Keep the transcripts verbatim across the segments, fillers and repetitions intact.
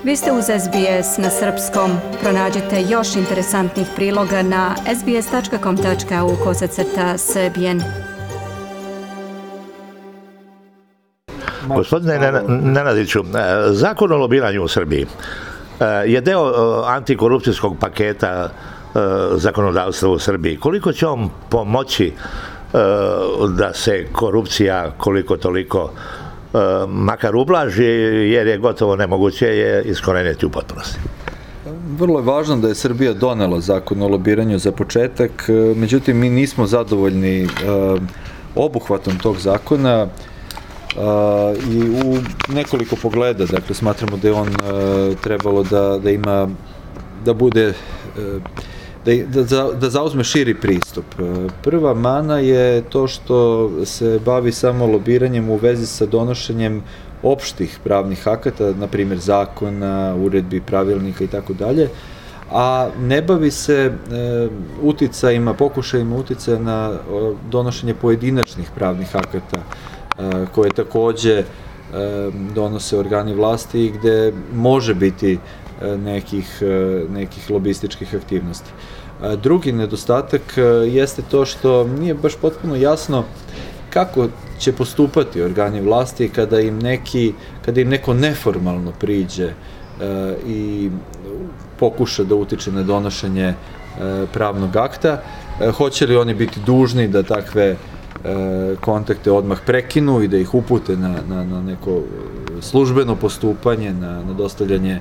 Vi ste uz S B S na srpskom. Pronađite još interesantnih priloga na sbs tačka com tačka au kosacrta srbijen. Gospodine Nenadiću, zakon o lobiranju u Srbiji je deo antikorupcijskog paketa zakonodavstva u Srbiji. Koliko će on pomoći da se korupcija koliko toliko makar ublaži, jer je gotovo nemoguće je iskoreniti u potpunosti? Vrlo je važno da je Srbija donela zakon o lobiranju za početak, međutim mi nismo zadovoljni obuhvatom tog zakona i u nekoliko pogleda. Dakle, smatramo da je on trebalo da, da ima, da bude, da, da, da zauzme širi pristup. Prva mana je to što se bavi samo lobiranjem u vezi sa donošenjem opštih pravnih akata, na primjer zakona, uredbi, pravilnika i tako dalje, a ne bavi se e, uticajima, pokušajima uticaja na donošenje pojedinačnih pravnih akata, e, koje takođe e, donose organi vlasti i gde može biti e, nekih, e, nekih lobističkih aktivnosti. E, drugi nedostatak e, jeste to što nije baš potpuno jasno kako će postupati organi vlasti kada im neki, kada im neko neformalno priđe e, i pokuša da utiče na donošenje e, pravnog akta. E, hoće li oni biti dužni da takve e, kontakte odmah prekinu i da ih upute na, na, na neko službeno postupanje, na, na dostavljanje e,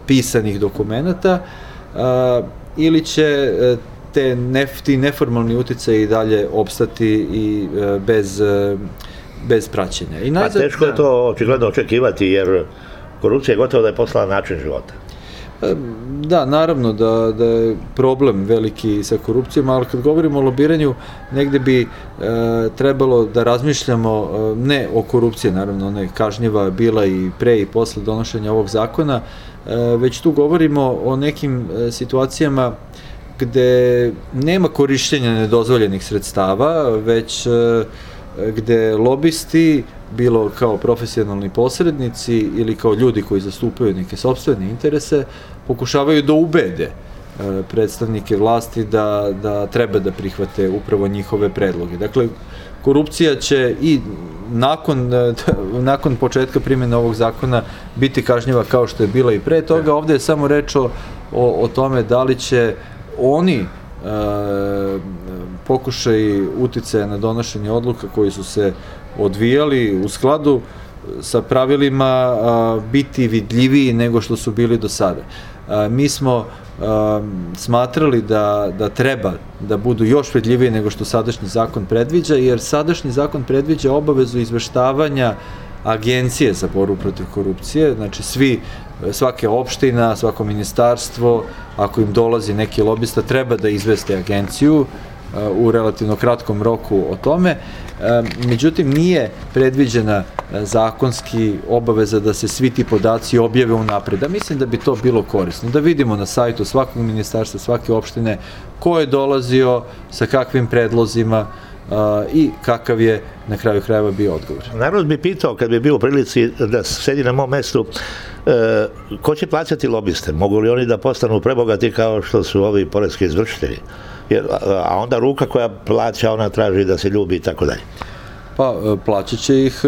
pisanih dokumenata, e, ili će e, te nef, ti neformalni uticaji i dalje opstati i e, bez, e, bez praćenja. I najzad, A teško je to očigledno očekivati, jer korupcija je gotovo da je postala način života. Da, naravno da, da je problem veliki sa korupcijom, ali kad govorimo o lobiranju, negde bi e, trebalo da razmišljamo e, ne o korupciji, naravno ona je kažnjiva bila i pre i posle donošenja ovog zakona, e, već tu govorimo o nekim e, situacijama gde nema korišćenja nedozvoljenih sredstava, već e, gde lobisti, bilo kao profesionalni posrednici ili kao ljudi koji zastupaju neke sopstvene interese, pokušavaju da ubede predstavnike vlasti da, da treba da prihvate upravo njihove predloge. Dakle, korupcija će i nakon, nakon početka primjene ovog zakona biti kažnjiva kao što je bila i pre toga. Ovde je samo reč o, o, o tome da li će oni e, pokušaj uticaja na donošenje odluka koji su se odvijali u skladu sa pravilima a, biti vidljiviji nego što su bili do sada. A, mi smo a, smatrali da, da treba da budu još vidljiviji nego što sadašnji zakon predviđa, jer sadašnji zakon predviđa obavezu izveštavanja Agencije za borbu protiv korupcije, znači svi, svake opština, svako ministarstvo, ako im dolazi neki lobista, treba da izveste agenciju u relativno kratkom roku o tome. Međutim, nije predviđena zakonski obaveza da se svi ti podaci objave unapred. A mislim da bi to bilo korisno. Da vidimo na sajtu svakog ministarstva, svake opštine, ko je dolazio, sa kakvim predlozima i kakav je na kraju krajeva bio odgovor. Narod bi pitao, kad bi bio u prilici da sedi na mom mestu, ko će plaćati lobiste? Mogu li oni da postanu prebogati kao što su ovi poreski izvršitelji? Jer, a onda ruka koja plaća, ona traži da se ljubi i tako dalje. Pa, plaćat će ih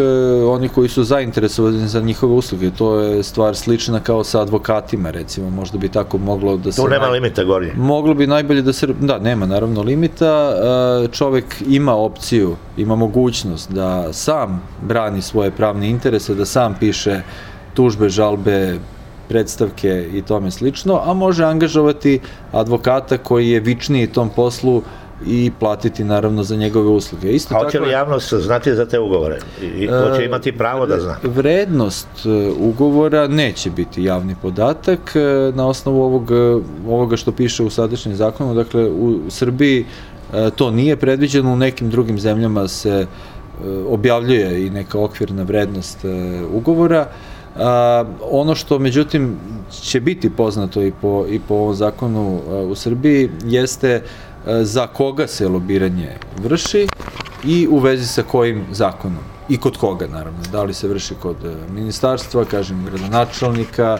oni koji su zainteresovani za njihove usluge. To je stvar slična kao sa advokatima, recimo. Možda bi tako moglo da se... Tu nema limita gornje. Moglo bi najbolje da se... Da, nema naravno limita. Čovek ima opciju, ima mogućnost da sam brani svoje pravne interese, da sam piše tužbe, žalbe, predstavke i tome slično, a može angažovati advokata koji je vičniji tom poslu i platiti naravno za njegove usluge. Isto a hoće li javnost znati za te ugovore? I hoće imati pravo da zna? Vrednost ugovora neće biti javni podatak na osnovu ovog, ovoga što piše u sadašnjem zakonu. Dakle, u Srbiji to nije predviđeno, u nekim drugim zemljama se objavljuje i neka okvirna vrednost ugovora. A, ono što međutim će biti poznato i po, i po ovom zakonu a, u Srbiji jeste a, za koga se lobiranje vrši i u vezi sa kojim zakonom. i kod koga, naravno. Da li se vrši kod ministarstva, kažem, gradonačelnika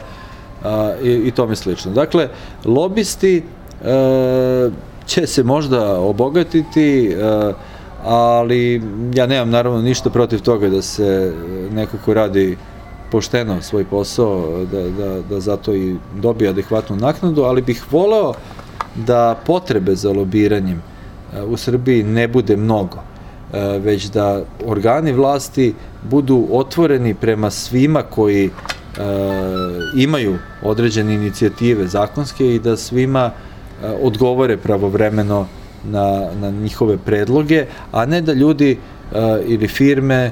i, i tome slično. Dakle, lobisti e, će se možda obogatiti, e, ali ja nemam naravno ništa protiv toga da se neko ko radi pošteno svoj posao, da, da, da zato i dobije adekvatnu naknadu, ali bih voleo da potrebe za lobiranjem u Srbiji ne bude mnogo, već da organi vlasti budu otvoreni prema svima koji e, imaju određene inicijative zakonske i da svima e, odgovore pravovremeno na, na njihove predloge, a ne da ljudi e, ili firme e,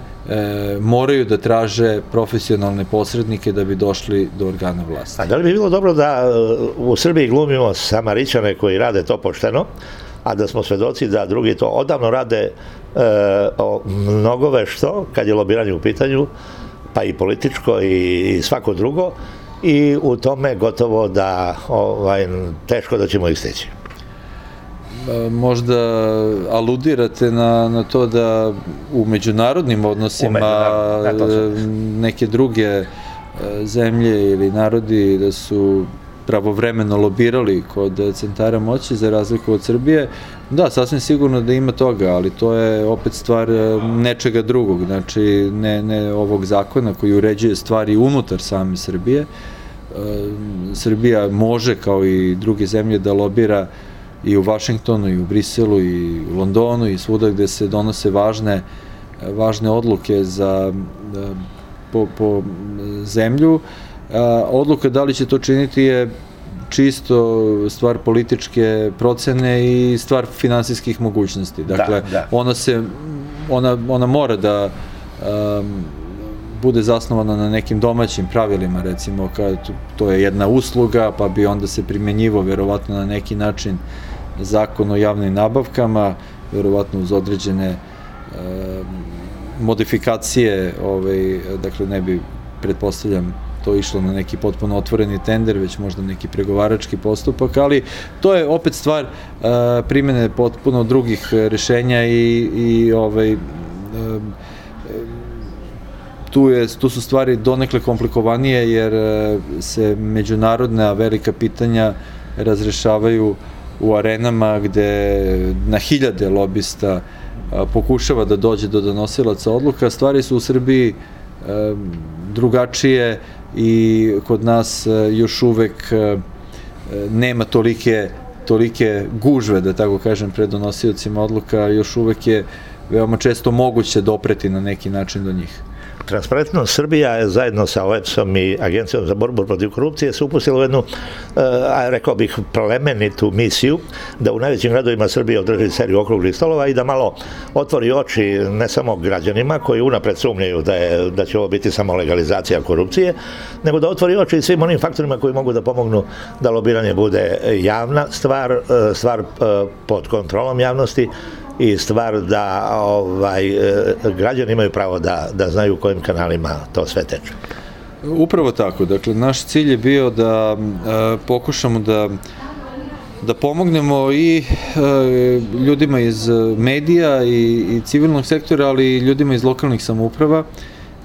moraju da traže profesionalne posrednike da bi došli do organa vlasti. A da li bi bilo dobro da u Srbiji glumimo Samarićane koji rade to pošteno, a da smo svedoci da drugi to odavno rade e, o mnogove što, kad je lobiranje u pitanju, pa i političko i, i svako drugo, i u tome gotovo da ovaj, teško da ćemo ih stići. Možda aludirate na, na to da u međunarodnim odnosima međunarodnim, neke druge zemlje ili narodi da su pravovremeno lobirali kod centara moći za razliku od Srbije. Da, sasvim sigurno da ima toga, ali to je opet stvar nečega drugog, znači ne, ne ovog zakona koji uređuje stvari unutar same Srbije. Srbija može, kao i druge zemlje, da lobira i u Vašingtonu, i u Briselu, i u Londonu, i svuda gde se donose važne, važne odluke za, po, po zemlju. Odluka da li će to činiti je čisto stvar političke procene i stvar finansijskih mogućnosti. Dakle, da, da. Ona, se, ona, ona mora da um, bude zasnovana na nekim domaćim pravilima, recimo, kad to je jedna usluga, pa bi onda se primjenjivo verovatno na neki način zakon o javnim nabavkama, verovatno uz određene um, modifikacije, ovaj, dakle, ne bi, pretpostavljam, to išlo na neki potpuno otvoreni tender, već možda neki pregovarački postupak, ali to je opet stvar uh, primene potpuno drugih rešenja i, i ovaj, um, tu, je, tu su stvari donekle komplikovanije jer uh, se međunarodna velika pitanja razrešavaju u arenama gde na hiljade lobista uh, pokušava da dođe do donosilaca odluka. Stvari su u Srbiji uh, drugačije i kod nas još uvek nema tolike, tolike gužve, da tako kažem, pred donosiocima odluka, još uvek je veoma često moguće dopreti na neki način do njih. Transparentnost Srbija je zajedno sa O E B S-om i Agencijom za borbu protiv korupcije se upustila u jednu, a rekao bih, plemenitu misiju da u najvećim gradovima Srbije održi seriju okruglih stolova i da malo otvori oči ne samo građanima koji unapred sumnjaju da, je, da će ovo biti samo legalizacija korupcije, nego da otvori oči svim onim faktorima koji mogu da pomognu da lobiranje bude javna stvar, stvar pod kontrolom javnosti i stvar da ovaj, građani imaju pravo da, da znaju u kojim kanalima to sve teče. Upravo tako. Dakle, naš cilj je bio da e, pokušamo da da pomognemo i e, ljudima iz medija i, i civilnog sektora, ali i ljudima iz lokalnih samouprava,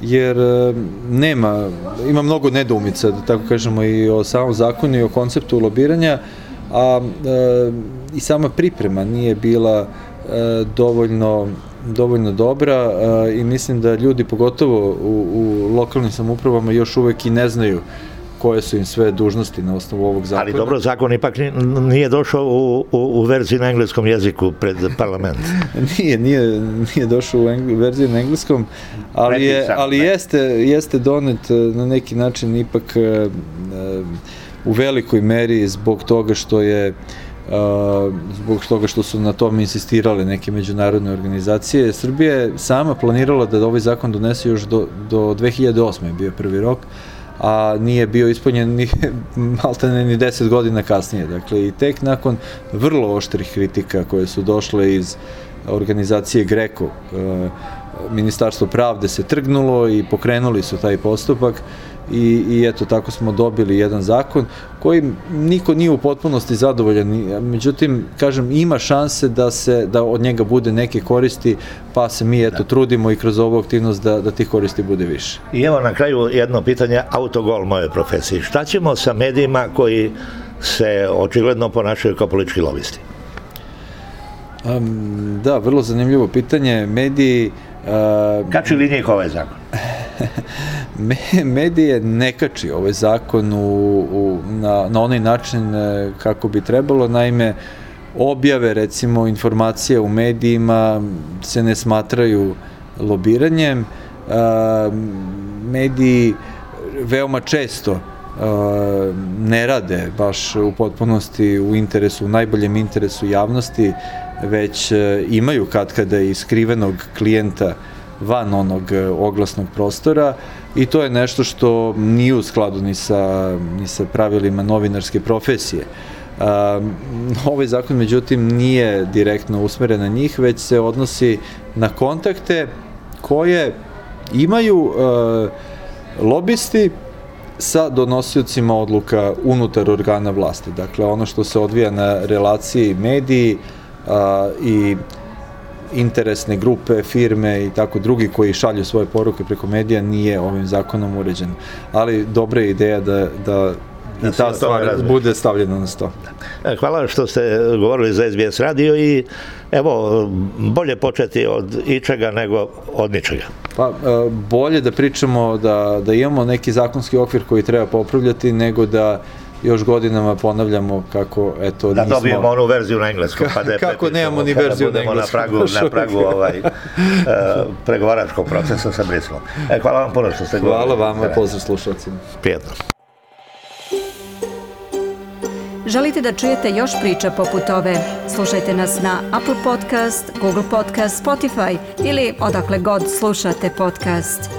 jer e, nema, ima mnogo nedoumica, da tako kažemo, i o samom zakonu i o konceptu lobiranja, a e, i sama priprema nije bila dovoljno, dovoljno dobra i mislim da ljudi, pogotovo u, u lokalnim samoupravama, još uvek i ne znaju koje su im sve dužnosti na osnovu ovog zakona. Ali dobro, zakon ipak nije došao u, u, u verziji na engleskom jeziku pred parlament. nije, nije, nije došao u engl, verziji na engleskom, ali, je, ali jeste, jeste donet na neki način ipak u velikoj meri zbog toga što je Uh, zbog toga što su na tom insistirale neke međunarodne organizacije. Srbija je sama planirala da ovaj zakon donese još do, do dve hiljade osme. je bio prvi rok, a nije bio ispunjen ni, maltene ni deset godina kasnije. Dakle, i tek nakon vrlo oštrih kritika koje su došle iz organizacije GRECO, uh, Ministarstvo pravde se trgnulo i pokrenuli su taj postupak i, i eto tako smo dobili jedan zakon koji niko nije u potpunosti zadovoljan, međutim kažem ima šanse da se da od njega bude neke koristi, pa se mi eto trudimo i kroz ovu aktivnost da, da tih koristi bude više. I evo na kraju jedno pitanje, autogol moje profesije. Šta ćemo sa medijima koji se očigledno ponašaju kao politički lobisti? Um, da, vrlo zanimljivo pitanje. Mediji... Uh, Kači li njih ovaj zakon? Me, medije ne kači ovaj zakon u, u, na, na onaj način kako bi trebalo. Naime, objave, recimo, informacije u medijima se ne smatraju lobiranjem. Uh, mediji veoma često uh, ne rade baš u potpunosti u interesu, u najboljem interesu javnosti, već imaju katkada i skrivenog klijenta van onog oglasnog prostora i to je nešto što nije u skladu ni sa, ni sa pravilima novinarske profesije. Um, ovaj zakon, međutim, nije direktno usmeren na njih, već se odnosi na kontakte koje imaju uh, lobisti sa donosiocima odluka unutar organa vlasti. Dakle, ono što se odvija na relaciji mediji a, i interesne grupe, firme i tako drugi koji šalju svoje poruke preko medija nije ovim zakonom uređeno. Ali dobra je ideja da, da i ta stvar bude stavljena na sto. Hvala što ste govorili za S B S radio i evo, bolje početi od ičega nego od ničega. Pa, bolje da pričamo da, da imamo neki zakonski okvir koji treba popravljati nego da još godinama ponavljamo kako, eto, da nismo... Da dobijemo onu verziju na engleskom. Pa da kako nemamo ni verziju na engleskom. Na pragu, na pragu ovaj, uh, pregovaračkog procesa sa Briselom. E, hvala vam puno što ste govorili. Hvala vama, pozdrav slušalcima. Prijetno. Želite da čujete još priča poput ove? Slušajte nas na Apple Podcast, Google Podcast, Spotify ili odakle god slušate podcast.